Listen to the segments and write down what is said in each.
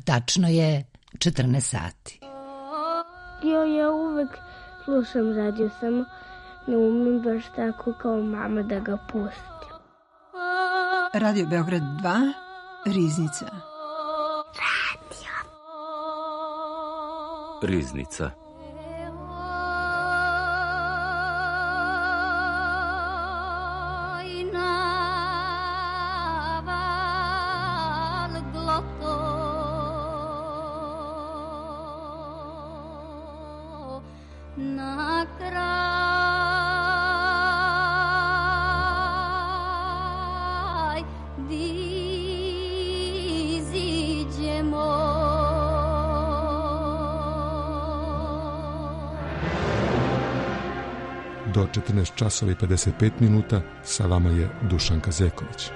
Tačno je 14 sati. Ja uvek slušam radio, samo ne umem baš tako kao mama da ga pustim. Radio Beograd 2, Riznica. Riznica. Do 14 časova i 55 minuta sa vama je Dušanka Zeković.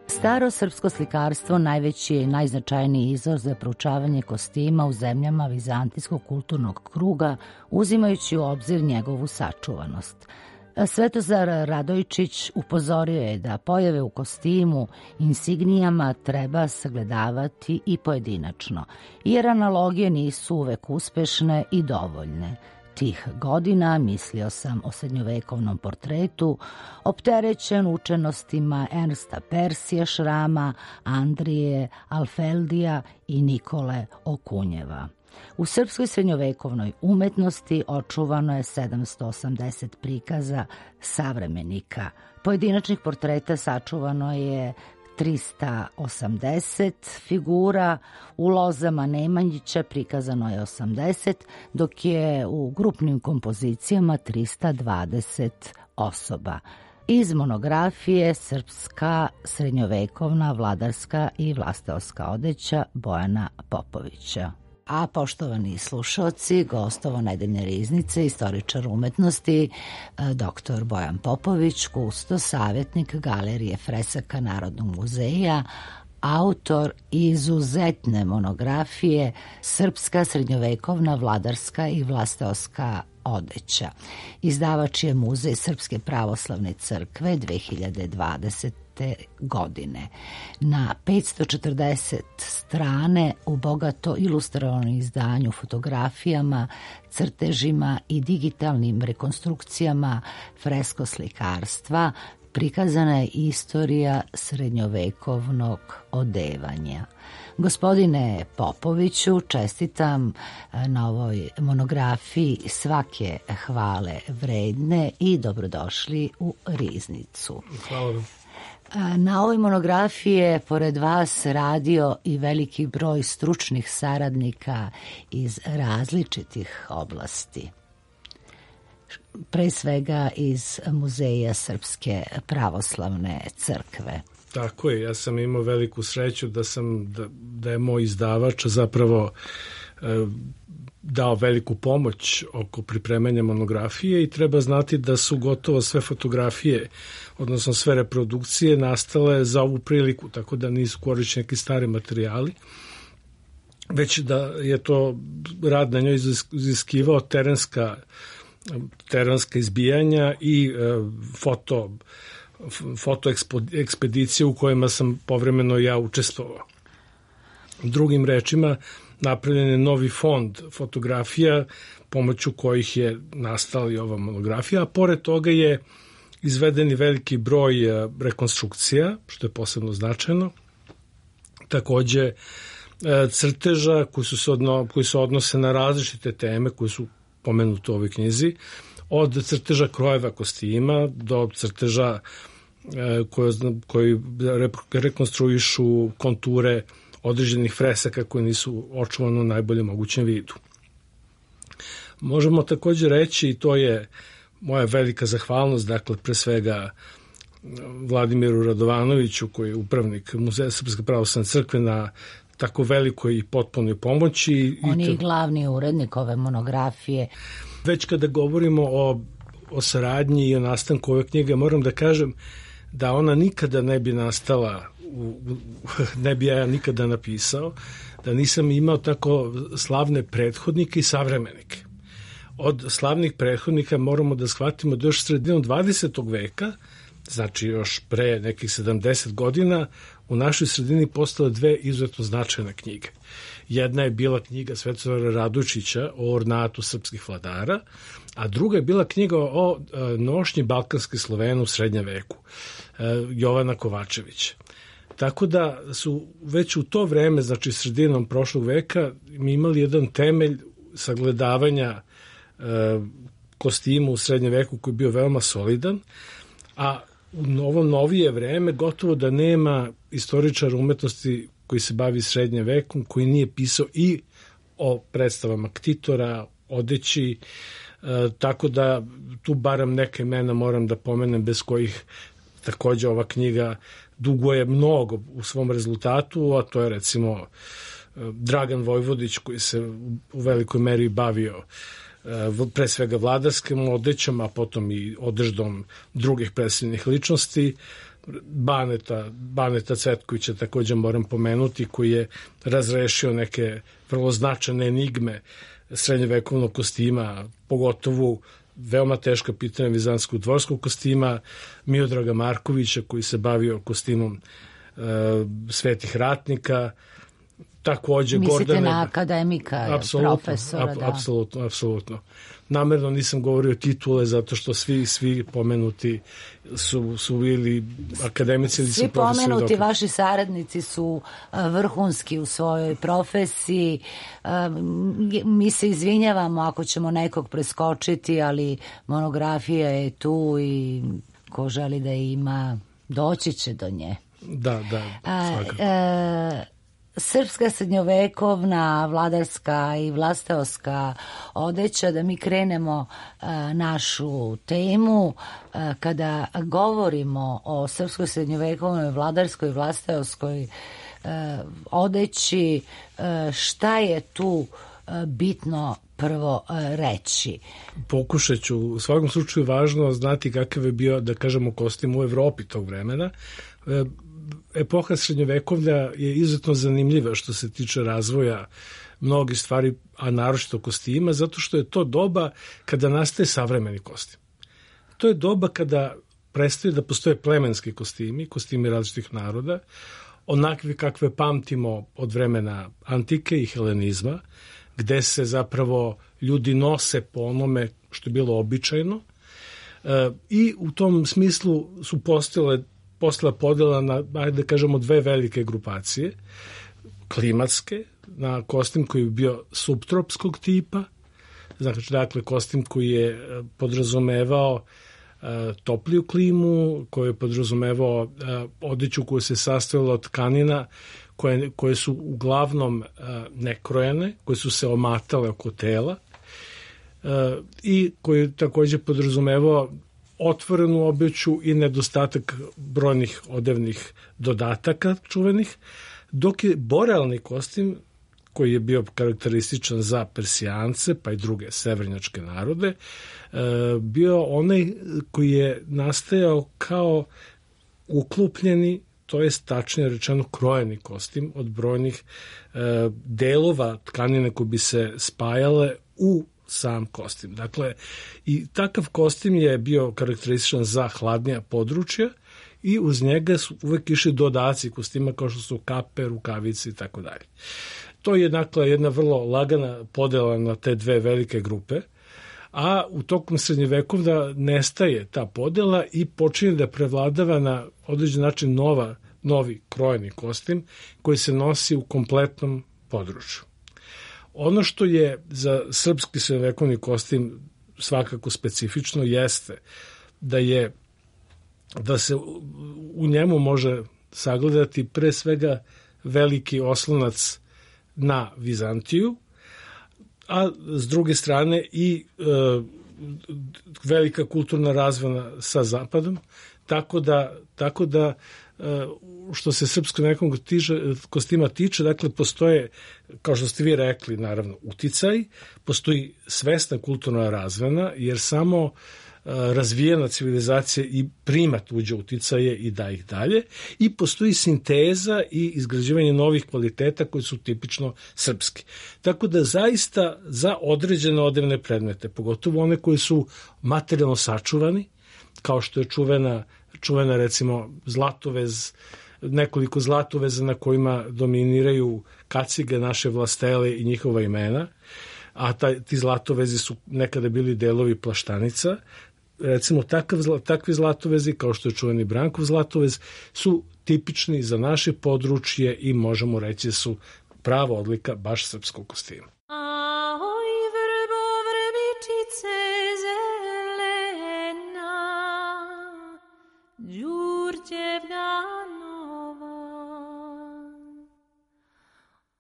Staro srpsko slikarstvo najveći je i najznačajniji izvor za proučavanje kostima u zemljama vizantijskog kulturnog kruga, uzimajući u obzir njegovu sačuvanost. Svetozar Radojčić upozorio je da pojave u kostimu, insignijama treba sagledavati i pojedinačno, jer analogije nisu uvek uspešne i dovoljne. Tih godina mislio sam o srednjovekovnom portretu, opterećen učenostima Ernsta Persija Šrama, Andrije Alfeldija i Nikole Okunjeva. U srpskoj srednjovekovnoj umetnosti očuvano je 780 prikaza savremenika. Pojedinačnih portreta sačuvano je 380 figura, u lozama Nemanjića prikazano je 80, dok je u grupnim kompozicijama 320 osoba. Iz monografije Srpska srednjovekovna vladarska i vlasteoska odeća Bojana Popovića. A poštovani slušaoci, gostovo nedeljne riznice, istoričar umetnosti, dr. Bojan Popović, kustos, savjetnik Galerije fresaka Narodnog muzeja, autor izuzetne monografije Srpska srednjovekovna vladarska i vlasteoska odeća. Izdavač je Muzej Srpske pravoslavne crkve 2020. godine. Na 540 strane u bogato ilustrovanom izdanju, fotografijama, crtežima i digitalnim rekonstrukcijama freskoslikarstva prikazana je istorija srednjovekovnog odevanja. Gospodine Popoviću, čestitam na ovoj monografiji, svake hvale vredne i dobrodošli u Riznicu. Hvala vam. Na ovoj monografiji je pored vas radio i veliki broj stručnih saradnika iz različitih oblasti. Pre svega iz Muzeja Srpske pravoslavne crkve. Tako je, ja sam imao veliku sreću da je moj izdavač zapravo dao veliku pomoć oko pripremanja monografije i treba znati da su gotovo sve fotografije, odnosno sve reprodukcije nastale za ovu priliku, tako da nisu korišćeni neki stari materijali, već da je to rad na njoj iziskivao terenska izbijanja i foto ekspedicije u kojima sam povremeno ja učestvovao. Drugim rečima, napravljen je novi fond fotografija pomoću kojih je nastala i ova monografija, a pored toga je izveden i veliki broj rekonstrukcija, što je posebno značajno. Takođe, crteža koji se odnose na različite teme koje su pomenute u ovoj knjizi, od crteža krojeva kostima do crteža koji rekonstruišu konture određenih fresaka koje nisu očuvane u najboljem mogućem vidu. Možemo takođe reći, i to je moja velika zahvalnost, dakle, pre svega Vladimiru Radovanoviću, koji je upravnik Muzeja Srpske pravoslavne crkve, na tako velikoj i potpunoj pomoći. On je i glavni urednik ove monografije. Već kada govorimo o saradnji i o nastanku ove knjige, moram da kažem da ona nikada ne bi nastala, ne bi ja nikada napisao, da nisam imao tako slavne prethodnike i savremenike. Od slavnih prethodnika moramo da shvatimo da još sredinom 20. veka, znači još pre nekih 70 godina, u našoj sredini postale dve izuzetno značajne knjige. Jedna je bila knjiga Svetozara Radojičića o ornatu srpskih vladara, a druga je bila knjiga o nošnji balkanskih Slovena u srednjem veku, Jovana Kovačevića. Tako da su već u to vreme, znači sredinom prošlog veka, mi imali jedan temelj sagledavanja kostima u srednjem veku koji je bio veoma solidan, a u ovo novije vreme gotovo da nema istoričara umetnosti koji se bavi srednjim vekom, koji nije pisao i o predstavama ktitora, odeći, tako da tu barem neke imena moram da pomenem bez kojih takođe ova knjiga duguje mnogo u svom rezultatu, a to je recimo Dragan Vojvodić koji se u velikoj meri bavio pre svega vladarskim odećom, a potom i odeždom drugih predstavljenih ličnosti. Baneta Cvetkovića takođe moram pomenuti, koji je razrešio neke vrlo značajne enigme srednjevekovnog kostima, pogotovo veoma teška pitanja vizantskog dvorskog kostima, Miodraga Markovića koji se bavio kostimom svetih ratnika, takođe Mislite Gordane... na akademika, profesora, da. Apsolutno. Namerno nisam govorio titule zato što svi pomenuti su bili akademici ili su profesori. Svi pomenuti vaši saradnici su vrhunski u svojoj profesiji. Mi se izvinjavamo ako ćemo nekog preskočiti, ali monografija je tu i ko želi da ima, doći će do nje. Da, svakako. Srpska srednjovekovna, vladarska i vlasteoska odeća, da mi krenemo našu temu. Kada govorimo o srpskoj srednjovekovnoj, vladarskoj i vlasteoskoj odeći, šta je tu bitno prvo reći? Pokušat ću. U svakom slučaju važno znati kakav je bio, da kažemo, kostim u Evropi tog vremena. Epoha srednjovekovlja je izuzetno zanimljiva što se tiče razvoja mnogih stvari, a naročito kostima, zato što je to doba kada nastaje savremeni kostim. To je doba kada prestaju da postoje plemenski kostimi različitih naroda, onakvi kakve pamtimo od vremena antike i helenizma, gde se zapravo ljudi nose po onome što je bilo običajno, i u tom smislu su postojala podela na, ajde da kažemo, dve velike grupacije. Klimatske, na kostim koji je bio subtropskog tipa, znači dakle kostim koji je podrazumevao topliju klimu, koji je podrazumevao odeću koja se sastojala od tkanina koje su uglavnom nekrojene, koje su se omatale oko tela, i koji je takođe podrazumevao otvorenu obuću i nedostatak brojnih odevnih dodataka čuvenih, dok je borealni kostim, koji je bio karakterističan za Persijance pa i druge severnjačke narode, bio onaj koji je nastajao kao uklupljeni, to je tačnije rečeno krojeni kostim od brojnih delova tkanine koje bi se spajale u sam kostim. Dakle, i takav kostim je bio karakterističan za hladnija područja i uz njega su uvek išli dodaci kostima kao što su kape, rukavice i tako dalje. To je dakle jedna vrlo lagana podela na te dve velike grupe, a u tokom srednjevekovlja nestaje ta podela i počinje da prevladava na određen način novi krojeni kostim koji se nosi u kompletnom području. Ono što je za srpski srednjevekovni kostim svakako specifično jeste da se u njemu može sagledati pre svega veliki oslonac na Vizantiju, a s druge strane i velika kulturna razvojna sa Zapadom, Tako da što se srpskog nekog kostima tiče, dakle, postoje, kao što ste vi rekli, naravno, uticaj, postoji svesna kulturna razmena, jer samo razvijena civilizacija i primat uđe uticaje i da ih dalje, i postoji sinteza i izgrađivanje novih kvaliteta koji su tipično srpski. Tako da zaista za određene odevne predmete, pogotovo one koji su materijalno sačuvani, kao što je čuvena recimo zlatovez, nekoliko zlatoveza na kojima dominiraju kacige, naše vlastele i njihova imena, a ti zlatovezi su nekada bili delovi plaštanica. Recimo takvi zlatovezi, kao što je čuveni Brankov zlatovez, su tipični za naše područje i možemo reći su prava odlika baš srpskog kostima.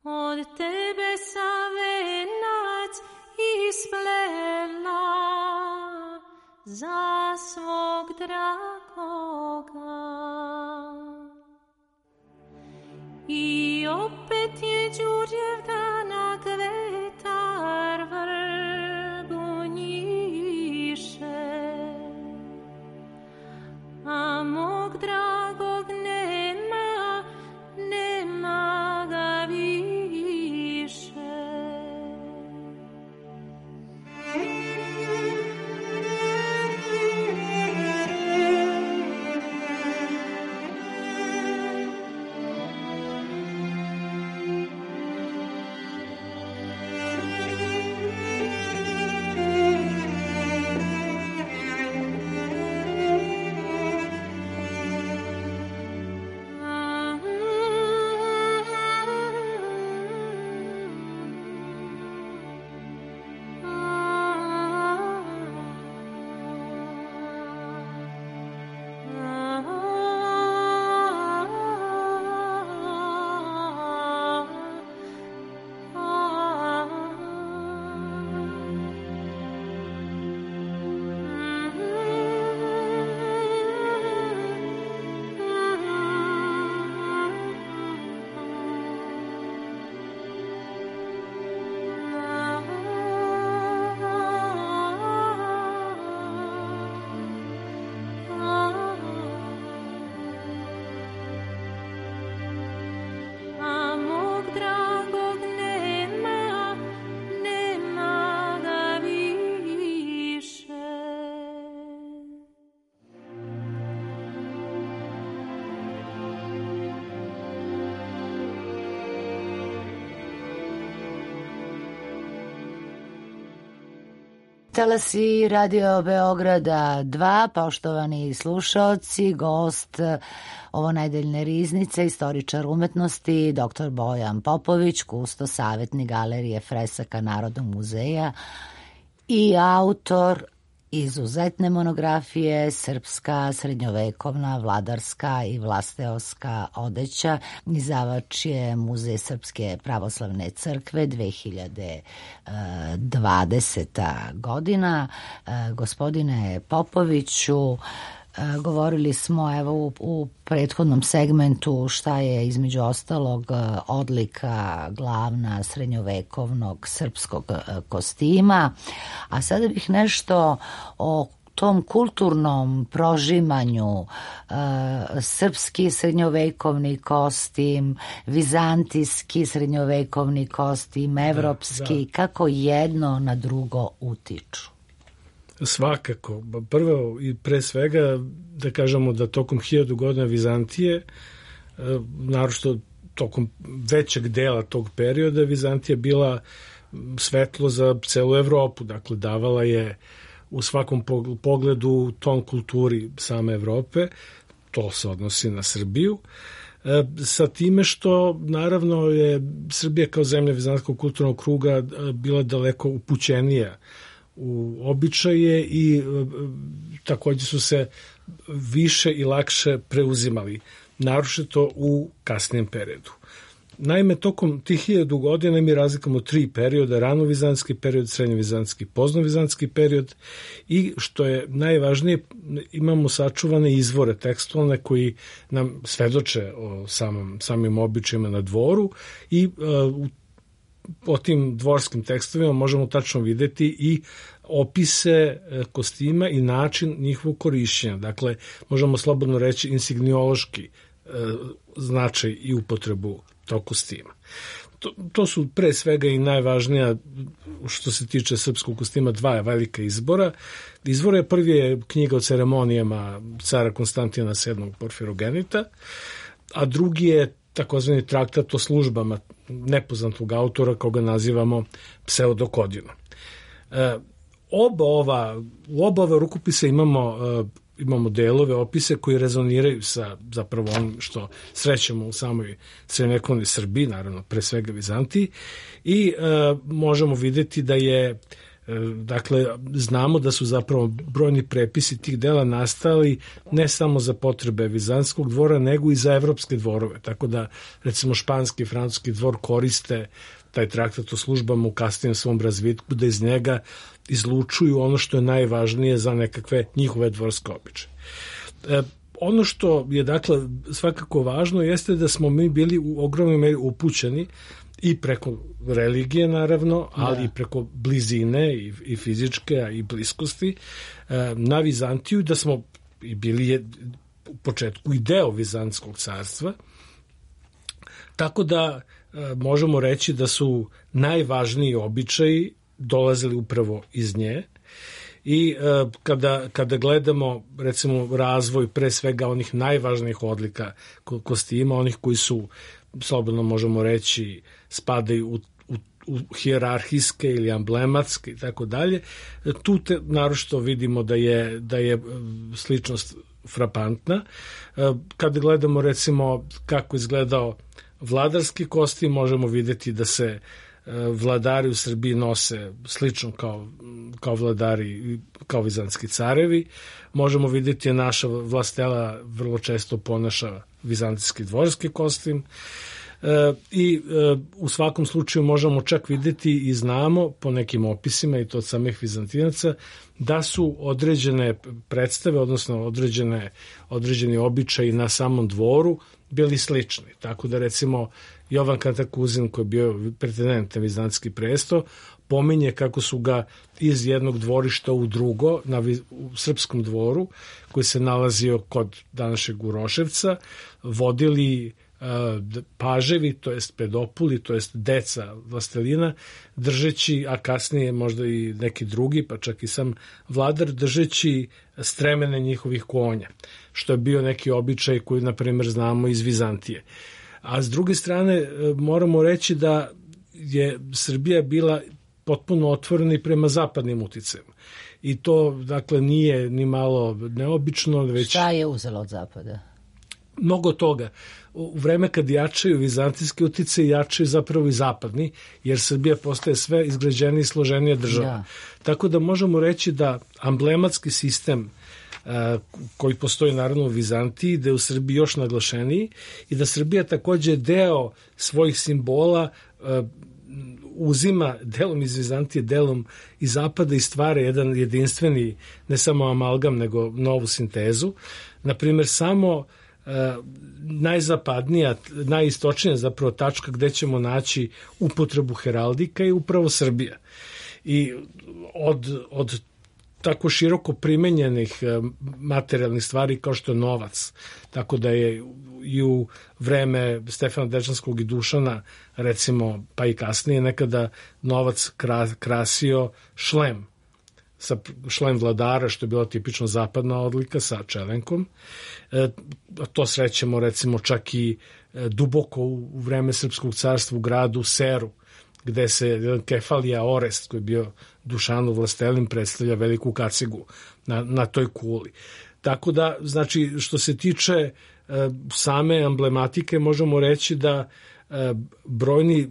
Od tebe sam venac isplela za svog dragoga. I opet je Đurđevdana kvetar vrbu njiše, a mog dragog nema ga više. Talasi Radio Beograda 2, poštovani slušaoci, gost ovo nedeljne riznice, istoričar umetnosti, dr. Bojan Popović, kusto savjetnik Galerije fresaka Narodnog muzeja i autor izuzetne monografije Srpska srednjovekovna vladarska i vlasteoska odeća. Izdavač je Muzej Srpske pravoslavne crkve 2020. godina. Gospodine Popoviću, govorili smo evo u prethodnom segmentu šta je između ostalog odlika glavna srednjovekovnog srpskog kostima, a sada bih nešto o tom kulturnom prožimanju, srpski srednjovekovni kostim, vizantijski srednjovekovni kostim, evropski, kako jedno na drugo utiču. Svakako. Prvo i pre svega da kažemo da tokom 1000 godina Vizantije, naročito tokom većeg dela tog perioda, Vizantija bila svetlo za celu Evropu. Dakle, davala je u svakom pogledu ton kulturi same Evrope. To se odnosi na Srbiju. Sa time što, naravno, je Srbija kao zemlja vizantijskog kulturnog kruga bila daleko upućenija u običaje i takođe su se više i lakše preuzimali, naročito u kasnijem periodu. Naime, tokom tih 1000 godina mi razlikamo 3 perioda, ranovizantski period, srednjovizantski, poznovizantski period i što je najvažnije, imamo sačuvane izvore tekstualne koji nam svedoče o samim običajima na dvoru i po tim dvorskim tekstovima možemo tačno videti i opise kostima i način njihovog korišćenja. Dakle, možemo slobodno reći insigniološki značaj i upotrebu tog kostima. To su pre svega i najvažnija što se tiče srpskog kostima 2 velika izbora. Izvor prvi je knjiga o ceremonijama cara Konstantina VII Porfirogenita, a drugi je takozvani traktat o službama nepoznatog autora koga nazivamo Pseudokodinom. U oba ova rukopisa imamo delove, opise koji rezoniraju sa zapravo onim što srećemo u samoj srednjevekovnoj Srbiji, naravno pre svega Vizantiji, i možemo videti da je, dakle, znamo da su zapravo brojni prepisi tih dela nastali ne samo za potrebe vizantskog dvora, nego i za evropske dvorove, tako da recimo španski i francuski dvor koriste taj traktat o službama u kasnijem svom razvitku, da iz njega izlučuju ono što je najvažnije za nekakve njihove dvorske običaje. Ono što je, dakle, svakako važno jeste da smo mi bili u ogromnoj meri upućeni i preko religije, naravno, ali i preko blizine i fizičke i bliskosti na Vizantiju, da smo bili u početku i deo Vizantskog carstva, tako da možemo reći da su najvažniji običaji dolazili upravo iz nje i kada gledamo recimo razvoj pre svega onih najvažnijih odlika kostima, onih koji su, slobodno možemo reći, spadaju u hijerarhijske ili amblematske i tako dalje, tu naročito vidimo da je sličnost frapantna. Kada gledamo recimo kako izgledao vladarski kostim, možemo videti da se vladari u Srbiji nose slično kao vladari, kao vizantski carevi. Možemo vidjeti da naša vlastela vrlo često ponaša vizantijski dvorski kostim i u svakom slučaju možemo čak vidjeti i znamo po nekim opisima i to od samih Vizantinaca da su određene predstave, odnosno određeni običaji na samom dvoru bili slični. Tako da recimo Jovan Kantakuzin, koji je bio pretendent na vizantski presto, pominje kako su ga iz jednog dvorišta u drugo, u srpskom dvoru, koji se nalazio kod današnjeg Uroševca, vodili paževi, to jest pedopuli, to jest deca vlastelina, držeći, a kasnije možda i neki drugi, pa čak i sam vladar, držeći stremene njihovih konja, što je bio neki običaj koji, na primjer, znamo iz Vizantije. A s druge strane, moramo reći da je Srbija bila potpuno otvorena i prema zapadnim uticajem. I to, dakle, nije ni malo neobično. Već šta je uzelo od zapada? Mnogo toga. U vreme kad jačaju vizantijski utice, jačaju zapravo i zapadni, jer Srbija postaje sve izgrađenija i složenija država. Ja. Tako da možemo reći da amblematski sistem koji postoji naravno u Vizantiji, da je u Srbiji još naglašeniji i da Srbija takođe deo svojih simbola uzima delom iz Vizantije, delom iz zapada i stvara jedan jedinstveni, ne samo amalgam, nego novu sintezu. Naprimjer, samo najzapadnija, najistočnija zapravo tačka gde ćemo naći upotrebu heraldika je upravo Srbija. I od tako široko primenjenih materijalnih stvari kao što je novac, tako da je i u vreme Stefana Dečanskog i Dušana, recimo, pa i kasnije, nekada novac krasio šlem, šlem vladara, što je bila tipično zapadna odlika sa čelenkom. To srećemo recimo čak i duboko u vreme Srpskog carstva u gradu Seru, gde se Kefalija Orest, koji je bio Dušanov vlastelin, predstavlja veliku kacigu na toj kuli. Tako da, znači, što se tiče same emblematike, možemo reći da brojni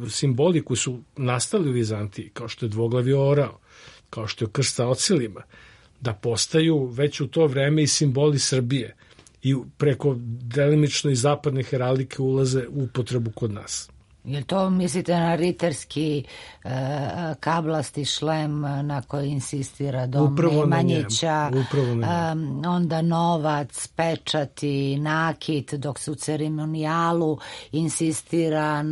simboli koji su nastali u Vizantiji, kao što je dvoglavi orao, kao što je krst sa ocilima, da postaju već u to vreme i simboli Srbije i preko delimično i zapadne heraldike ulaze u upotrebu kod nas. Je to mislite na riterski kablasti šlem na koji insistira dom Nemanjića, onda novac, pečati, nakit, dok se u ceremonijalu insistira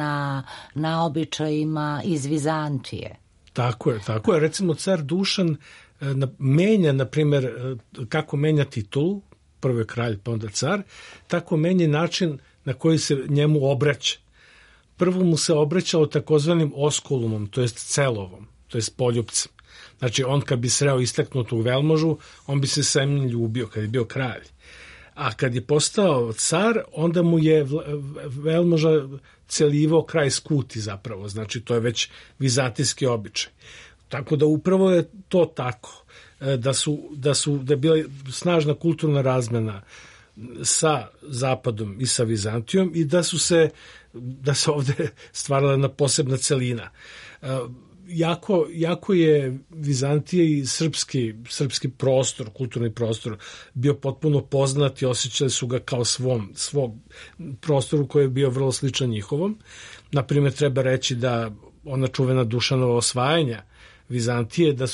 na običajima iz Vizantije? Tako je. Recimo car Dušan menja, na primjer, kako menja titulu, prvo je kralj pa onda car, tako menja način na koji se njemu obraća. Prvo mu se obraćao takozvanim oskulumom, to jest celovom, to jest poljupcem. Znači, on kad bi sreo istaknutu velmožu, on bi se sa njim ljubio, kad je bio kralj. A kad je postao car, onda mu je velmoža celivao kraj skuti zapravo, znači to je već vizantijski običaj. Tako da upravo je to tako, da je bila snažna kulturna razmena sa Zapadom i sa Vizantijom i da se ovde stvarala jedna posebna celina. Jako je Vizantija i srpski prostor, kulturni prostor bio potpuno poznat i osjećali su ga kao svog prostoru koji je bio vrlo sličan njihovom. Naprimjer, treba reći da ona čuvena Dušanova osvajanja Vizantije, da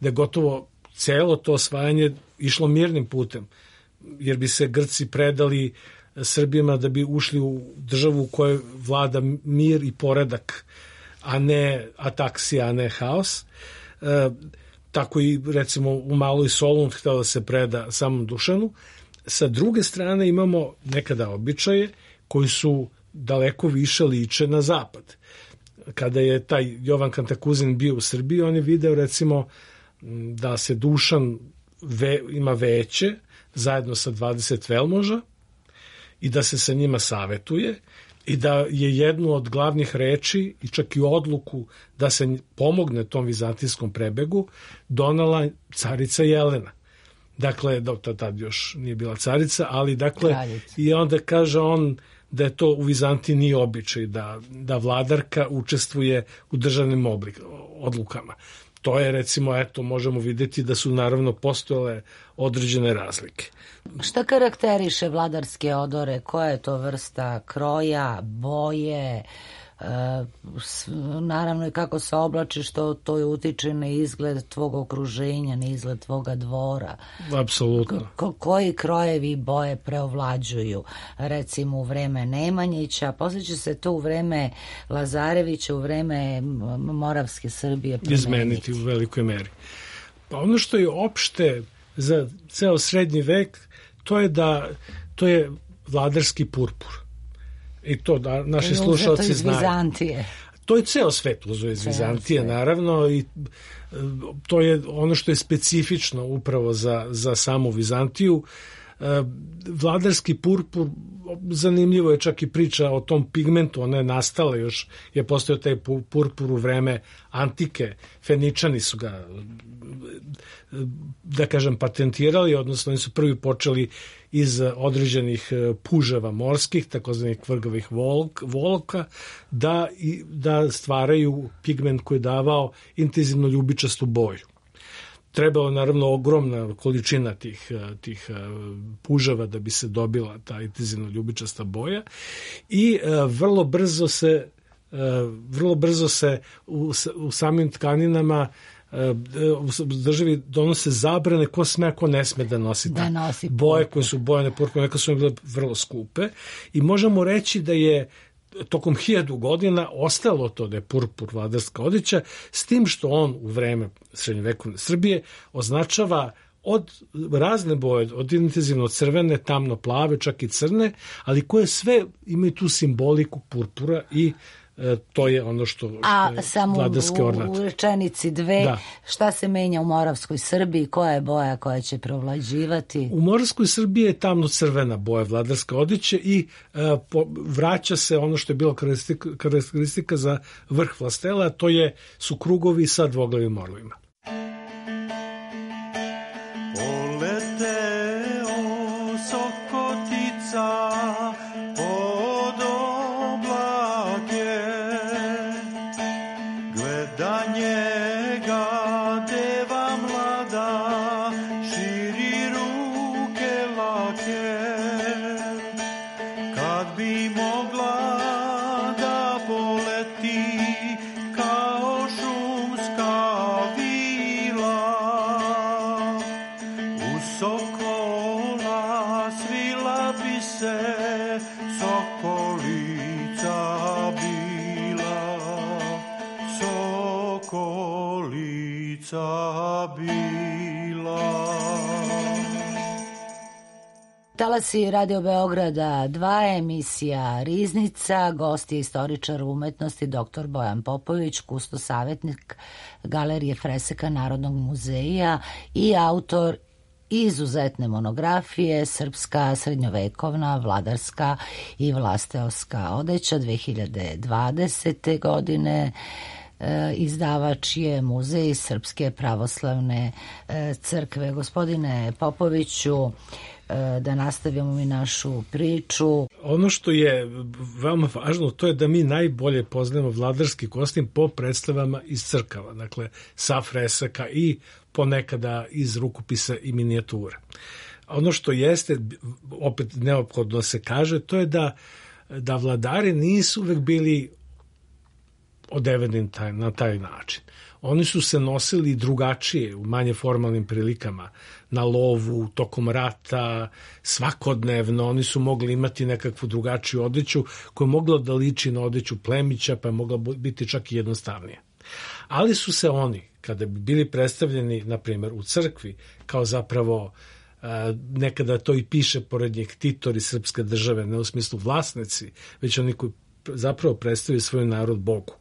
je gotovo celo to osvajanje išlo mirnim putem, jer bi se Grci predali Srbima da bi ušli u državu u kojoj vlada mir i poredak, a ne ataksija, a ne haos. Tako i recimo u Maloj Solun htio da se preda samom Dušanu. Sa druge strane imamo nekada običaje koji su daleko više liče na zapad. Kada je taj Jovan Kantakuzin bio u Srbiji, on je video recimo da se Dušan ima veće zajedno sa 20 velmoža i da se sa njima savetuje i da je jednu od glavnih reči i čak i odluku da se pomogne tom vizantijskom prebegu donala carica Jelena. Dakle, tad još nije bila carica, ali dakle, kraljica. I onda kaže on da je to u Vizantiji nije običaj, da vladarka učestvuje u državnim odlukama. To je, recimo, možemo vidjeti da su naravno postojale određene razlike. Šta karakteriše vladarske odore? Koja je to vrsta kroja, boje, naravno i kako se oblačiš, to utiče na izgled tvog okruženja, na izgled tvoga dvora. Apsolutno. Koji krojevi boje preovlađuju? Recimo u vreme Nemanjića, poslije će se to u vreme Lazarevića, u vreme Moravske Srbije izmeniti u velikoj meri. Pa ono što je opšte za ceo srednji vek, to je vladarski purpur. I to da naši slušalci znaju. To je ceo svet uzeo iz Vizantije, naravno, i to je ono što je specifično upravo za samu Vizantiju. Vladarski purpur, zanimljivo je čak i priča o tom pigmentu, ona je nastala još, je postojao taj purpur u vreme antike, Feničani su ga, da kažem, patentirali, odnosno oni su prvi počeli iz određenih puževa morskih, takozvanih kvrgovih volka, da stvaraju pigment koji je davao intenzivno ljubičastu boju. Trebalo naravno ogromna količina tih puževa da bi se dobila ta intenzivno ljubičasta boja i vrlo brzo se u samim tkaninama u državi donose zabrane ko sme, a ko ne sme da nosi boje koje su bojane purpurom, neka su bile vrlo skupe i možemo reći da je tokom 1000 godina ostalo to da je purpur vladarska odjeća, s tim što on u vreme srednjovekovne Srbije označava od razne boje, od intenzivno crvene, tamno plave, čak i crne, ali koje sve imaju tu simboliku purpura i to je ono što je vladarske ornate. U rečenici dve, šta se menja u Moravskoj Srbiji, koja je boja koja će provlađivati? U Moravskoj Srbiji je tamno-crvena boja vladarske odjeće i vraća se ono što je bilo karakteristika za vrh vlastela, a to su krugovi sa dvoglavim orlovima. Deva mlada širi ruke lake. Talasi Radio Beograda 2, emisija Riznica, gost je istoričar umetnosti dr. Bojan Popović, kusto savjetnik Galerije Freseka Narodnog muzeja i autor izuzetne monografije Srpska srednjovekovna vladarska i vlasteoska odeća 2020. godine. Izdavač je Muzej Srpske pravoslavne crkve. Gospodine Popoviću, da nastavimo mi našu priču. Ono što je veoma važno, to je da mi najbolje poznajemo vladarski kostim po predstavama iz crkava, dakle sa fresaka i ponekada iz rukopisa i minijatura. Ono što jeste, opet neophodno se kaže, to je da vladari nisu uvek bili odeveni na taj način. Oni su se nosili drugačije u manje formalnim prilikama, na lovu, tokom rata, svakodnevno. Oni su mogli imati nekakvu drugačiju odeću koja je mogla da liči na odeću plemića, pa je mogla biti čak i jednostavnije. Ali su se oni, kada bi bili predstavljeni, na primjer, u crkvi, kao zapravo nekada to i piše pored njih titori srpske države, ne u smislu vlasnici, već oni koji zapravo predstavljaju svoj narod Bogu.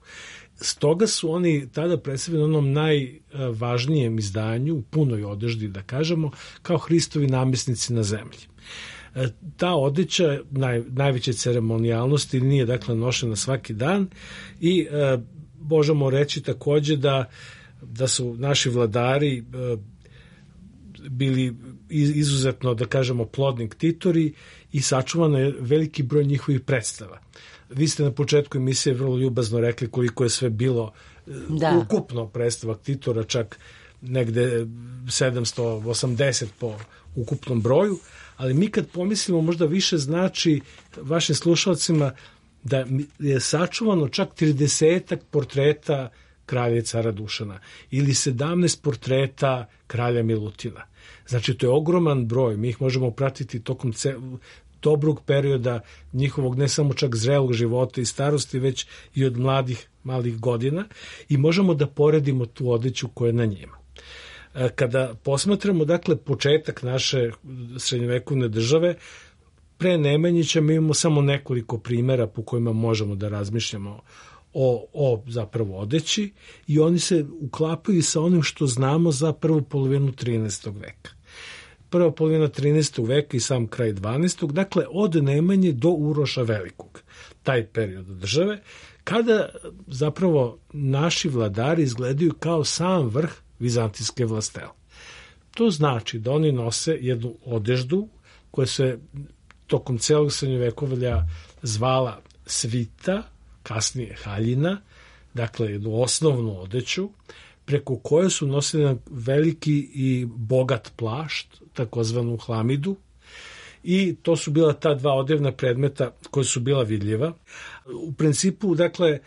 Stoga su oni tada predstavljeni onom najvažnijem izdanju, u punoj odeždi da kažemo, kao Hristovi namjesnici na zemlji. Ta odeća najveće ceremonijalnosti nije dakle nošena svaki dan i možemo reći takođe da su naši vladari bili izuzetno, da kažemo, plodni ktitori i sačuvano je veliki broj njihovih predstava. Vi ste na početku emisije vrlo ljubazno rekli koliko je sve bilo ukupno predstava ktitora, čak negde 780 po ukupnom broju, ali mi kad pomislimo možda više znači vašim slušalcima da je sačuvano čak 30 portreta kralja i cara Dušana ili 17 portreta kralja Milutina. Znači, to je ogroman broj. Mi ih možemo pratiti tokom dobrog perioda njihovog ne samo čak zrelog života i starosti, već i od malih godina i možemo da poredimo tu odeću koja je na njima. Kada posmatramo, dakle, početak naše srednjovekovne države, pre Nemanjića mi imamo samo nekoliko primjera po kojima možemo da razmišljamo o zapravo odeći i oni se uklapaju sa onim što znamo za prvu polovinu 13. veka. Prva polovina 13. veka i sam kraj 12. Dakle, od Nemanje do Uroša Velikog, taj period države, kada zapravo naši vladari izgledaju kao sam vrh vizantijske vlastele. To znači da oni nose jednu odeždu koja se tokom celog srednjovekovlja zvala svita, kasnije haljina, dakle jednu osnovnu odeću, preko koje su nosili jedan veliki i bogat plašt, takozvanu hlamidu, i to su bila ta dva odevna predmeta koja su bila vidljiva. U principu, dakle,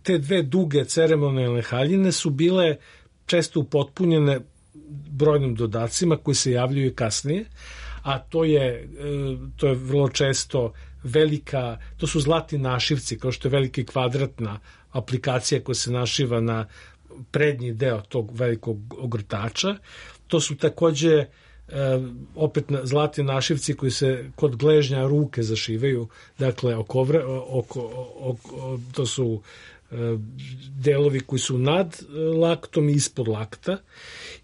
te dve duge ceremonijalne haljine su bile često upotpunjene brojnim dodacima koji se javljaju i kasnije, a to je vrlo često velika, to su zlatni našivci, kao što je veliki kvadratna aplikacija koja se našiva na prednji deo tog velikog ogrtača. To su takođe opet zlatni našivci koji se kod gležnja ruke zašivaju, dakle to su delovi koji su nad laktom i ispod lakta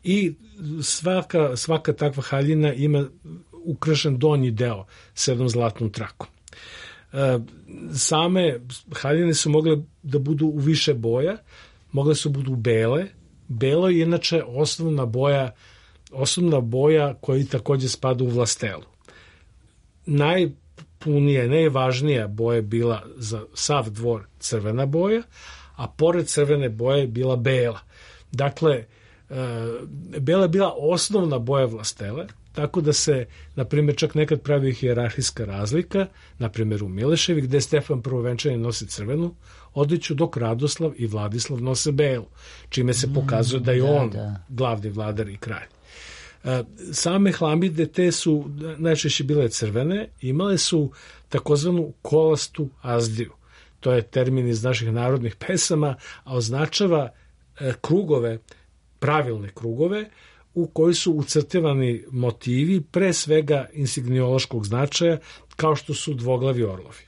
i svaka takva haljina ima ukrašen donji deo s jednom zlatnom trakom. Same haljine su mogle da budu u više boja, mogle su budu bele. Belo je inače osnovna boja koja takođe spada u vlastelu. Najpunije, najvažnija boja je bila za sav dvor crvena boja, a pored crvene boje je bila bela. Dakle, bela je bila osnovna boja vlastele, tako da se, na primjer, čak nekad pravi hijerarhijska razlika, na primjer u Mileševi, gde Stefan Prvovenčani nosi crvenu odeću, dok Radoslav i Vladislav nose belu, čime se pokazuje da je on glavni vladar i kralj. Same hlamide, te su najčešće bile crvene, imale su takozvanu kolastu azdiju. To je termin iz naših narodnih pesama, a označava krugove pravilne krugove u koji su ucrtevani motivi pre svega insigniološkog značaja, kao što su dvoglavi orlovi.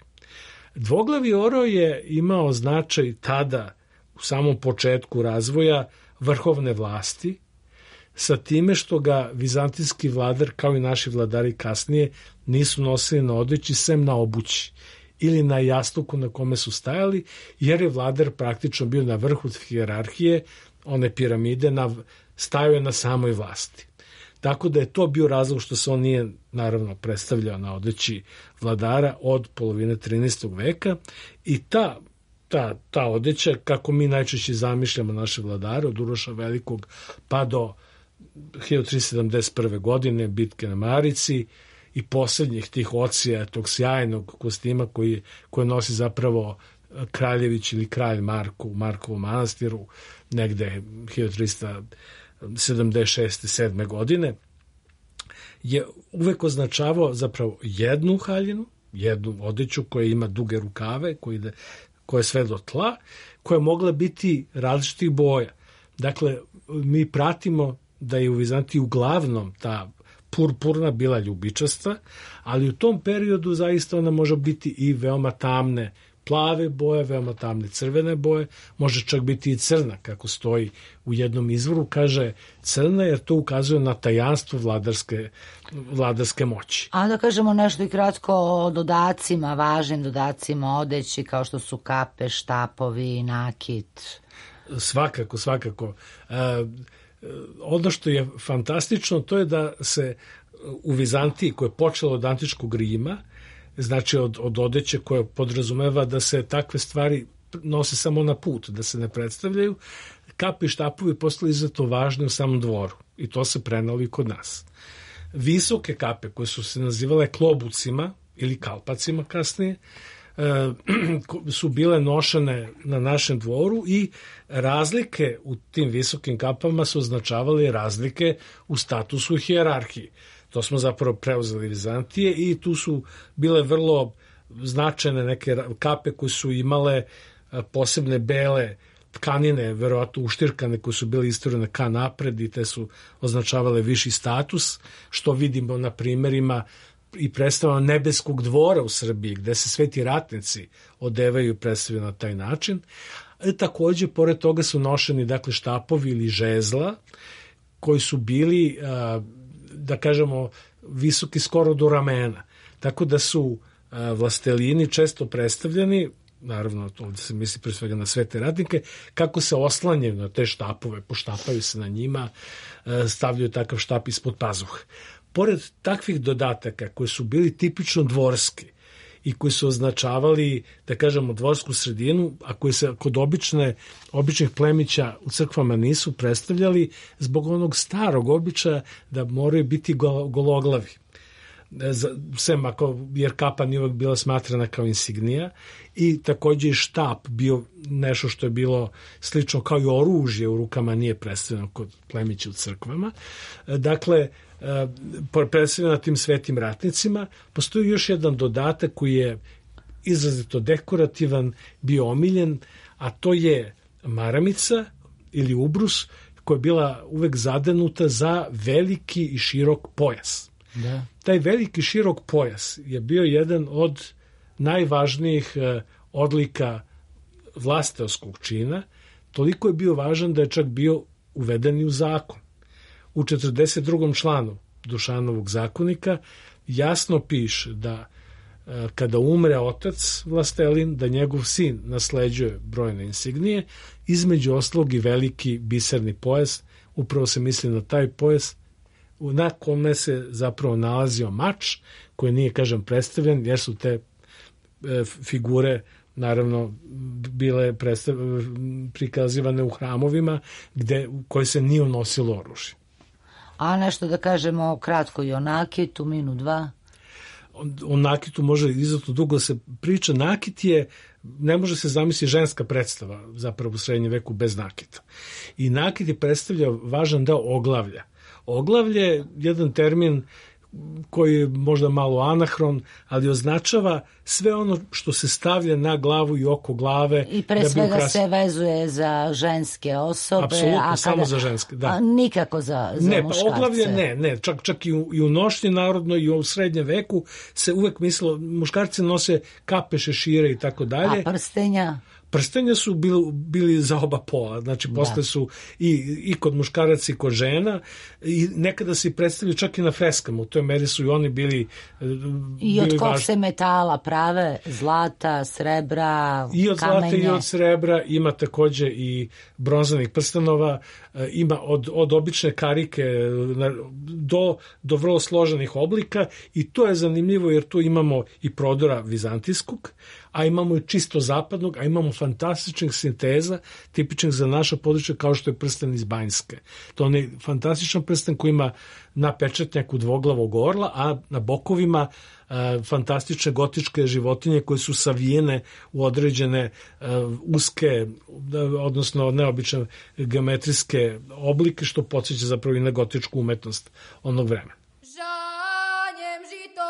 Dvoglavi orao je imao značaj tada u samom početku razvoja vrhovne vlasti, sa time što ga vizantijski vladar, kao i naši vladari kasnije, nisu nosili na odeći sem na obući ili na jastuku na kome su stajali, jer je vladar praktično bio na vrhu hijerarhije, one piramide, stajao je na samoj vlasti. Tako da je to bio razlog što se on nije naravno predstavljao na odeći vladara od polovine 13. veka i ta odeća, kako mi najčešće zamišljamo naše vladare, od Uroša Velikog pa do 1371. godine bitke na Marici i posljednjih tih ocija, tog sjajnog kostima koje nosi zapravo Kraljević ili kralj Marko u Markovom manastiru negde 1376. 7. godine, je uvek označavao zapravo jednu haljinu, jednu odeću koja ima duge rukave, koja je sve do tla, koja je mogla biti različitih boja. Dakle, mi pratimo da je u Vizantiji uglavnom ta purpurna bila ljubičasta, ali u tom periodu zaista ona može biti i veoma tamne plave boje, veoma tamne crvene boje, može čak biti i crna, kako stoji u jednom izvoru, kaže crna jer to ukazuje na tajanstvo vladarske moći. A da kažemo nešto i kratko o dodacima, važnim dodacima odeći, kao što su kape, štapovi, nakit. Svakako. Ono što je fantastično, to je da se u Vizantiji, koje je počelo od antičkog Rima, znači od odeće koja podrazumeva da se takve stvari nose samo na put, da se ne predstavljaju, kape i štapovi postali izuzetno važni u samom dvoru i to se prenalo i kod nas. Visoke kape koje su se nazivale klobucima ili kalpacima kasnije, su bile nošene na našem dvoru i razlike u tim visokim kapama su označavale razlike u statusu i hijerarhiji. To smo zapravo preuzeli Vizantije i tu su bile vrlo značajne neke kape koje su imale posebne bele tkanine, verovatno uštirkane, koje su bile isturene ka napred i te su označavale viši status, što vidimo na primerima i predstavama nebeskog dvora u Srbiji, gde se sveti ratnici odevaju i predstavljaju na taj način. Takođe, pored toga su nošeni dakle štapovi ili žezla, koji su bili, da kažemo, visoki skoro do ramena. Tako da su vlastelini često predstavljeni, naravno ovdje se misli pre svega na svete ratnike, kako se oslanjaju na te štapove, poštapaju se na njima, stavljaju takav štap ispod pazuha. Pored takvih dodataka koji su bili tipično dvorski i koji su označavali, da kažemo, dvorsku sredinu, a koji se kod običnih plemića u crkvama nisu predstavljali zbog onog starog običaja da moraju biti gologlavi. Jer kapa nije uvek bila smatrana kao insignija i takođe i štap bio nešto što je bilo slično kao i oružje u rukama, nije predstavljeno kod plemića u crkvama. Dakle, predstavljeno na tim svetim ratnicima, postoji još jedan dodatak koji je izrazito dekorativan, bio omiljen, a to je maramica ili ubrus koja je bila uvek zadenuta za veliki i širok pojas. Da. Taj veliki širok pojas je bio jedan od najvažnijih odlika vlasteoskog čina, toliko je bio važan da je čak bio uveden i u zakon. U 42. članu Dušanovog zakonika jasno piše da kada umre otac vlastelin, da njegov sin nasleđuje brojne insignije, između ostalog i veliki biserni pojas, upravo se misli na taj pojas na kome se zapravo nalazio mač, koji nije, kažem, predstavljen, jer su te figure naravno bile prikazivane u hramovima koje se nije unosilo oružje. A nešto da kažemo kratko i o nakitu, minut, dva? O nakitu može izuzetno dugo se priča. Nakit je, ne može se zamisliti ženska predstava zapravo u srednjem veku bez nakita. I nakit je predstavljao važan deo oglavlja. Oglavlje je jedan termin koji je možda malo anahron, ali označava sve ono što se stavlja na glavu i oko glave. I pre svega se vezuje za ženske osobe. Apsolutno, samo za ženske, da. Nikako za ne, muškarce. Pa oglavlje ne, čak i u nošnji narodnoj i u srednjem veku se uvek mislilo, muškarci nose kape, šešire i tako dalje. A prstenja? Prstenja su bili za oba pola, znači posle su i kod muškaraca i kod žena i nekada se predstavljaju čak i na freskama, u toj meri su i oni bili i od kog se metala prave, zlata, srebra, i od kamenje. Zlata i od srebra, ima takođe i bronzanih prstenova, ima od obične karike do vrlo složenih oblika i to je zanimljivo jer tu imamo i prodora vizantijskog, a imamo i čisto zapadnog, a imamo fantastičnih sinteza, tipičnih za naša područja kao što je prsten iz Banjske. To je fantastičan prsten koji ima na pečatnjaku dvoglavog orla, a na bokovima fantastične gotičke životinje koje su savijene u određene uske, odnosno neobične geometrijske oblike, što podsjeća zapravo i na gotičku umetnost onog vremena. Žanjem žito,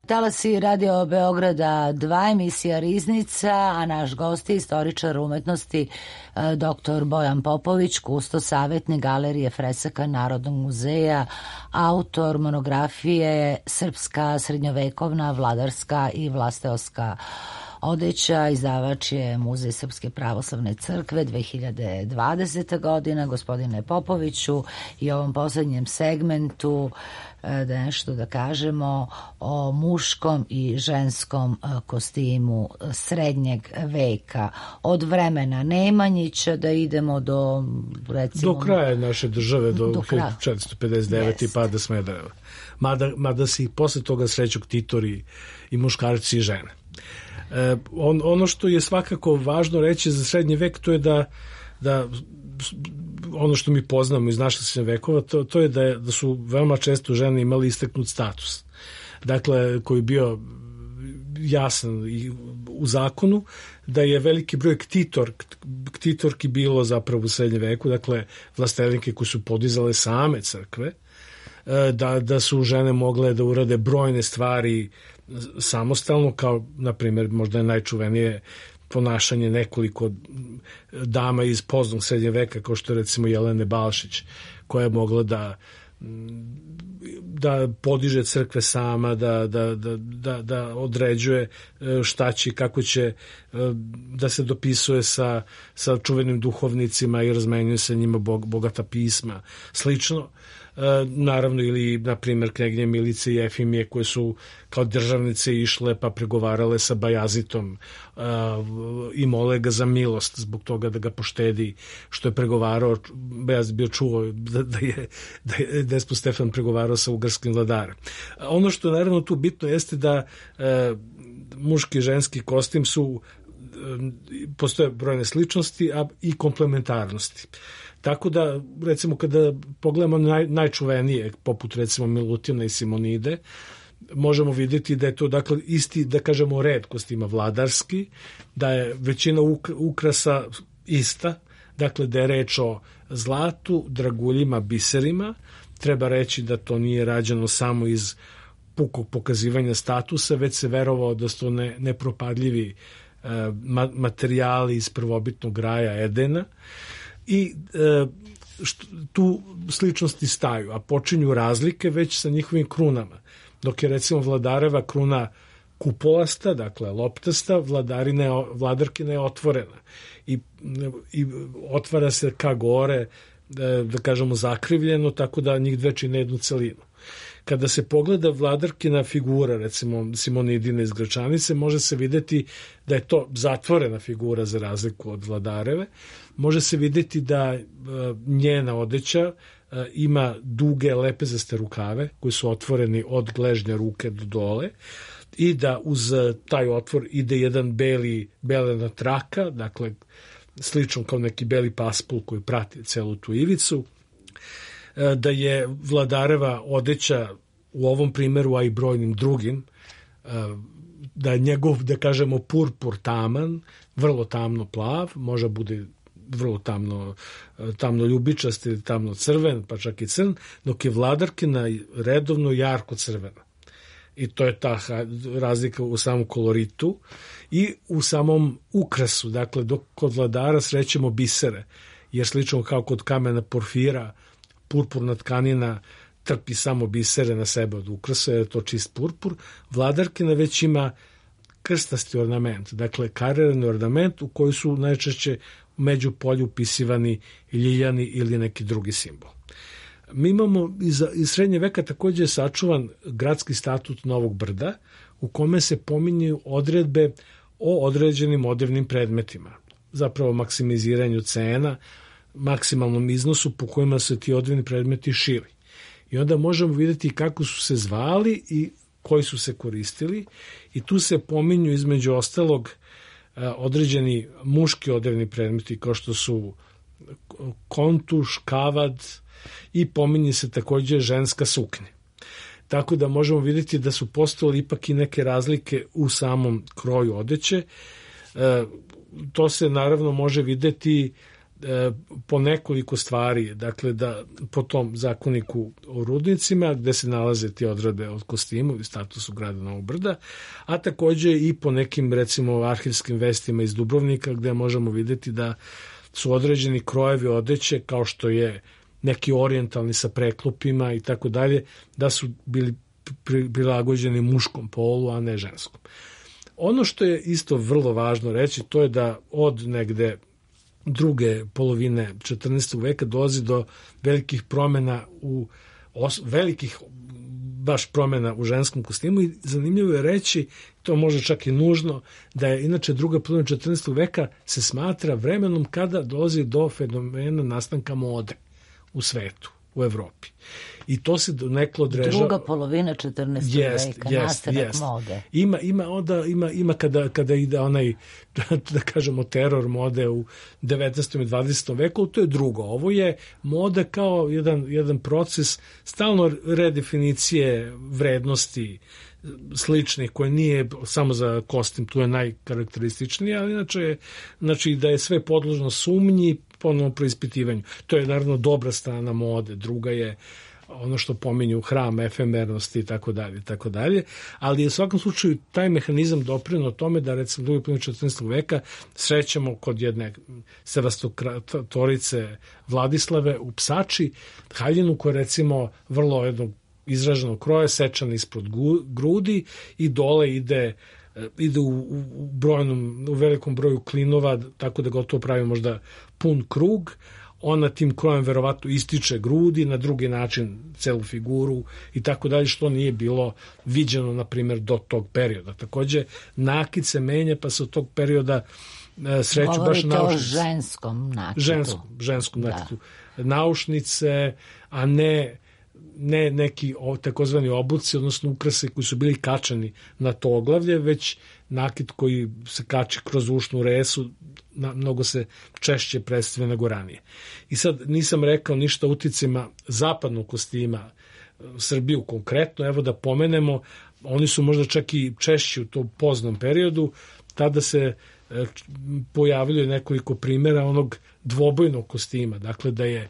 Talasi Radio Beograda 2, emisija Riznica, a naš gost je istoričar umetnosti dr. Bojan Popović, kusto savjetnik Galerije fresaka Narodnog muzeja, autor monografije Srpska srednjovekovna, vladarska i vlasteoska odeća, izdavač je Muzej Srpske pravoslavne crkve 2020. godina. Gospodine Popoviću, i ovom poslednjem segmentu da nešto da kažemo o muškom i ženskom kostimu srednjeg veka. Od vremena Nemanjića da idemo do, recimo, do kraja naše države, do 1459. i pada Smedereva. Mada se i posle toga sreću ktitori i muškarci i žene. Ono što je svakako važno reći za srednji vek, to je da ono što mi poznamo iz naših srednjih vekova, to je da su veoma često žene imali istaknut status. Dakle, koji je bio jasan i u zakonu, da je veliki broj ktitorki bilo zapravo u srednjem veku, dakle vlastelinke koje su podizale same crkve, da su žene mogle da urade brojne stvari samostalno, kao na primjer možda je najčuvenije ponašanje nekoliko dama iz poznog srednjeg veka, kao što je recimo Jelene Balšić, koja je mogla da podiže crkve sama, da određuje šta će, kako će da se dopisuje sa čuvenim duhovnicima i razmenjuje sa njima bogata pisma. Slično, naravno, ili na primjer knjeginje Milice i Efimije, koje su kao državnice išle pa pregovarale sa Bajazitom i mole ga za milost zbog toga da ga poštedi što je pregovarao. Bajazit bio čuo da je despot Stefan pregovarao sa ugarskim vladarem. Ono što je naravno tu bitno jeste da muški i ženski kostim postoje brojne sličnosti, a i komplementarnosti. Tako da, recimo, kada pogledamo najčuvenije, poput recimo Milutina i Simonide, možemo vidjeti da je to, dakle, isti, da kažemo, red kostima vladarski, da je većina ukrasa ista, Dakle, da je reč o zlatu, draguljima, biserima. Treba reći da to nije rađeno samo iz pukog pokazivanja statusa, već se verovao da su to nepropadljivi materijali iz prvobitnog raja Edena i tu sličnosti staju, a počinju razlike već sa njihovim krunama. Dok je recimo vladareva kruna kupolasta, dakle loptasta, vladarkina je otvorena i otvara se ka gore, da kažemo zakrivljeno, tako da njih dve čine jednu celinu. Kada se pogleda vladarkina figura, recimo Simonidine iz Gračanice, može se videti da je to zatvorena figura za razliku od vladareve. Može se videti da njena odeća ima duge lepezaste rukave koji su otvoreni od gležnja ruke do dole i da uz taj otvor ide jedan belena traka, dakle slično kao neki beli paspul koji prati celu tu ivicu, da je vladareva odeća u ovom primeru, a i brojnim drugim, da je njegov, da kažemo, purpur taman, vrlo tamno plav, može bude vrlo tamno ljubičast ili tamno crven, pa čak i crn, dok je vladarkina redovno jarko crvena. I to je ta razlika u samom koloritu i u samom ukrasu. Dakle, dok kod vladara srećemo bisere, jer slično kao kod kamena porfira, purpurna tkanina trpi samo bisere na sebe od ukrasa, jer je to čist purpur. Vladarkina već ima krstasti ornament, dakle karirani ornament u koji su najčešće među polju upisivani ljiljani ili neki drugi simbol. Mi imamo iz srednje veka takođe sačuvan gradski statut Novog Brda u kome se pominju odredbe o određenim odevnim predmetima, zapravo maksimiziranju cena, maksimalnom iznosu po kojima su ti odevni predmeti šili. I onda možemo vidjeti kako su se zvali i koji su se koristili i tu se pominju između ostalog određeni muški odevni predmeti kao što su kontuš, kavad i pominje se takođe ženska suknja. Tako da možemo vidjeti da su postojale ipak i neke razlike u samom kroju odeće. To se naravno može videti po nekoliko stvari, dakle da po tom zakoniku o rudnicima gde se nalaze ti odredbe od kostimu i statusu grada Novog Brda, a takođe i po nekim recimo arhivskim vestima iz Dubrovnika gde možemo videti da su određeni krojevi odeće kao što je neki orijentalni sa preklopima i tako dalje, da su bili prilagođeni muškom polu, a ne ženskom. Ono što je isto vrlo važno reći, to je da od negde druge polovine 14. veka dolazi do velikih promjena baš promjena u ženskom kostimu i zanimljivo je reći, to može čak i nužno, da je inače druga polovina 14. veka se smatra vremenom kada dolazi do fenomena nastanka mode u svetu, u Evropi. I to se donekle odrežava. Druga polovina 14. veka, nastanak mode. Ima kada ide onaj, da kažemo, teror mode u 19. i 20. veku, to je drugo. Ovo je moda kao jedan proces stalno redefinicije vrednosti sličnih, koje nije samo za kostim, tu je najkarakterističnije, ali inače znači da je sve podložno sumnji, ponovno preispitivanju. To je naravno dobra strana mode, druga je ono što pominju hram, efemernosti i tako dalje, ali je u svakom slučaju taj mehanizam doprineo tome da recimo drugi polovini 14. veka srećemo kod jedne sevastotorice Vladislave u Psači haljinu koja recimo vrlo jednog izraženog kroja, sečana ispod grudi i dole ide u velikom broju klinova, tako da gotovo pravi možda pun krug. Ona tim krojem verovatno ističe grudi, na drugi način celu figuru i tako dalje, što nije bilo viđeno, na primjer, do tog perioda. Takođe, nakit se menja, pa se od tog perioda sreću baš naušnice. Govorite o ženskom nakitu. Ženskom nakitu. Naušnice, a ne neki takozvani obuci, odnosno ukrase koji su bili kačani na to oglavlje, već nakit koji se kači kroz ušnu resu, mnogo se češće predstavlja nego ranije. I sad nisam rekao ništa o uticima zapadnog kostima Srbiju konkretno, evo da pomenemo, oni su možda čak i češći u tom poznom periodu, tada se pojavljuje nekoliko primjera onog dvobojnog kostima, dakle da je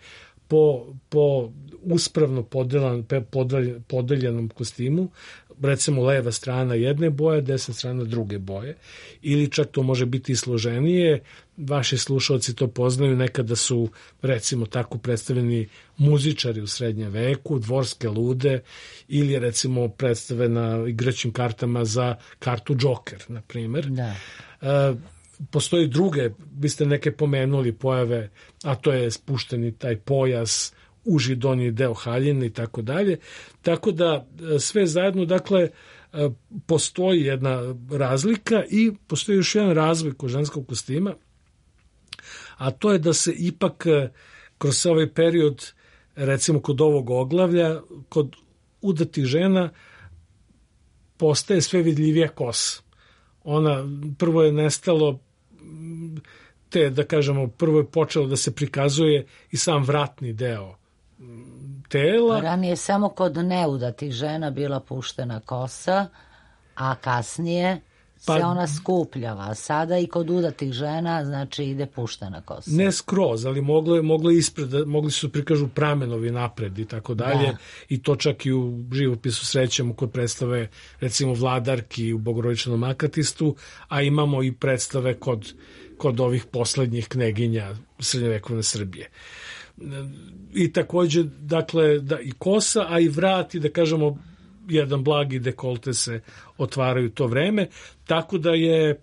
po uspravno podeljenom kostimu, recimo leva strana jedne boje, desna strana druge boje, ili čak to može biti i složenije. Vaši slušalci to poznaju, nekada su recimo tako predstavljeni muzičari u srednjem veku, dvorske lude, ili recimo predstave na igraćim kartama za kartu Joker, na primjer. Da. Postoji druge, vi ste neke pomenuli pojave, a to je spušteni taj pojas, uži donji deo haljine i tako dalje. Tako da sve zajedno, dakle, postoji jedna razlika i postoji još jedan razvoj kod ženskog kostima, a to je da se ipak kroz ovaj period, recimo kod ovog oglavlja, kod udatih žena postaje sve vidljivija kosa. Ona, prvo je nestalo da kažemo, prvo je počelo da se prikazuje i sam vratni deo tela. Ranije samo kod neudatih žena bila puštena kosa, a kasnije se ona skupljava. Sada i kod udatih žena, znači, ide puštena kosa. Ne skroz, ali mogli su prikažu pramenovi napred i tako dalje. I to čak i u živopisu srećemo kod predstave, recimo, Vladarki u Bogorodičnom akatistu, a imamo i predstave kod ovih poslednjih kneginja srednjovekovne Srbije. I takođe, dakle, i kosa, a i vrat i, da kažemo, jedan blagi dekolte se otvaraju to vreme, tako da je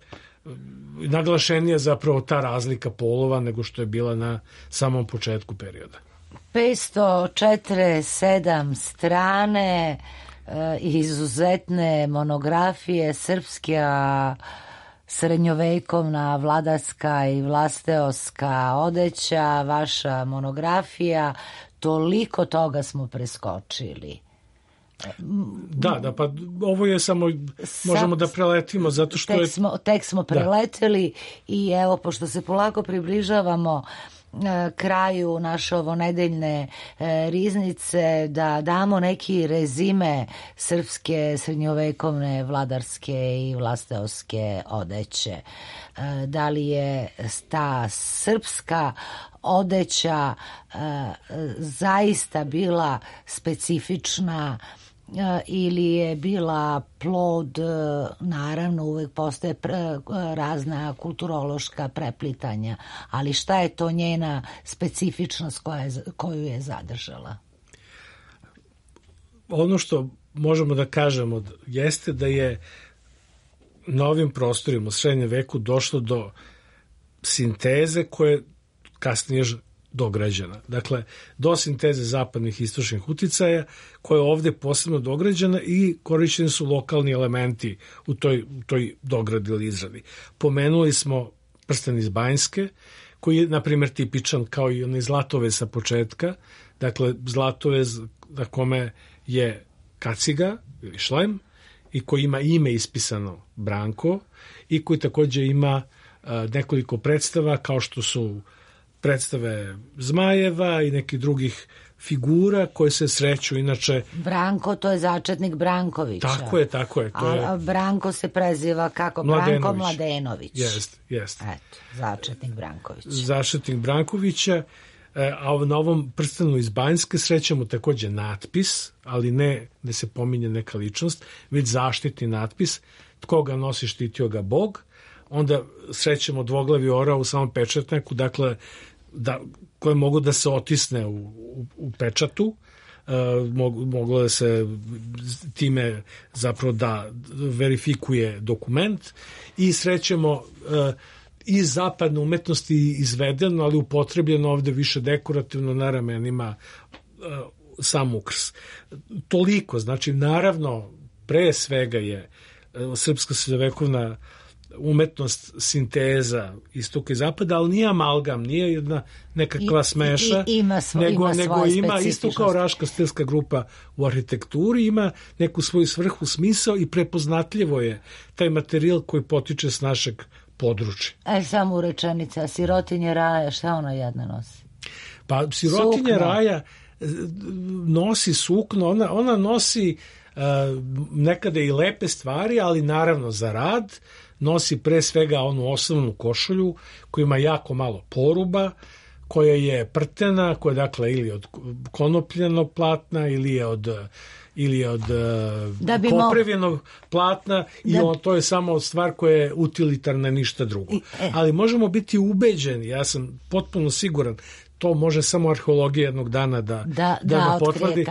naglašenija zapravo ta razlika polova nego što je bila na samom početku perioda. 547 strane, izuzetne monografije, srpska srednjovekovna vladarska i vlasteoska odeća, vaša monografija, toliko toga smo preskočili. Da, pa ovo je samo, možemo da preletimo, zato što tek smo preleteli i evo, pošto se polako približavamo kraju naše ovonedeljne riznice, da damo neki rezime srpske srednjovekovne vladarske i vlasteoske odeće. Da li je ta srpska odeća zaista bila specifična ili je bila plod, naravno uvek postoje razna kulturološka preplitanja, ali šta je to njena specifičnost koju je zadržala? Ono što možemo da kažemo jeste da je na ovim prostorima u srednjem veku došlo do sinteze koje kasnije dograđena. Dakle, do sinteze zapadnih i istočnih uticaja koja je ovde posebno dograđena i korišćeni su lokalni elementi u toj dogradi ili izradi. Pomenuli smo prsten iz Banjske, koji je, na primjer, tipičan kao i onaj zlatovez sa početka. Dakle, zlatovez na kome je kaciga ili šlem i koji ima ime ispisano Branko i koji takođe ima nekoliko predstava kao što su predstave zmajeva i nekih drugih figura koje se sreću inače. Branko, to je začetnik Brankovića. Tako je. A Branko se preziva kako? Branko Mladenović. Jeste. Eto, začetnik Brankovića. Začetnik Brankovića, a na ovom prstenu iz Banjske srećemo takođe natpis, ali ne da se pominje neka ličnost, već zaštitni natpis, tko ga nosi štitio ga Bog. Onda srećemo dvoglavi orao u samom pečatnjaku, dakle, koje mogu da se otisne u pečatu, moglo da se time zapravo da verifikuje dokument i srećemo i zapadne umetnosti izvedeno, ali upotrebljeno ovde više dekorativno na ramenima sam ukrs. Toliko, znači naravno pre svega je srpska srednjovekovna umetnost sinteza istoka i zapada, ali nije amalgam, nije jedna nekakva smeša, nego ima isto kao Raška stilska grupa u arhitekturi, ima neku svoju svrhu, smisao i prepoznatljivo je taj materijal koji potiče s našeg područja. Samo rečenica, sirotinje raja, šta ona jedna nosi? Pa sirotinje raja nosi sukno, ona nosi nekada i lepe stvari, ali naravno za rad, nosi pre svega onu osnovnu košulju koja ima jako malo poruba, koja je prtena, koja je dakle ili od konopljenog platna ili je od poprevljenog platna i to je samo stvar koja je utilitarna, ništa drugo. Ali možemo biti ubeđeni, ja sam potpuno siguran, to može samo arheologija jednog dana da potvrdi,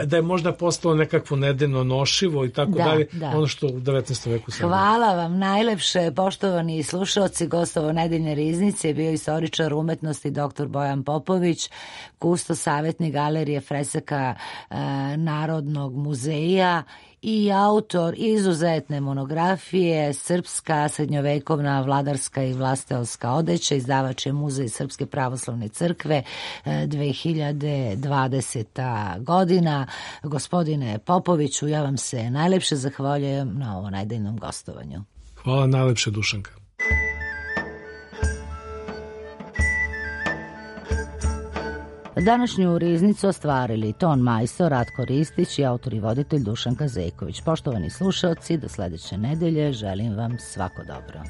da je možda postalo nekakvo nedeno nošivo i tako dalje, ono što u 19. veku sada. Hvala vam najlepše, poštovani slušalci. Gostovo Nedeljne riznice je bio istoričar umetnosti dr. Bojan Popović, kustos savjetnik Galerije fresaka Narodnog muzeja i autor izuzetne monografije Srpska srednjovekovna vladarska i vlastelska odeća. Izdavač je Muzej Srpske pravoslavne crkve, 2020. godina. Gospodine Popoviću, ja vam se najlepše zahvaljujem na ovom nedeljnom gostovanju. Hvala najlepše, Dušanka. Današnju riznicu ostvarili ton majstor Ratko Ristić i autor i voditelj Dušanka Zejković. Poštovani slušalci, do sledeće nedelje želim vam svako dobro.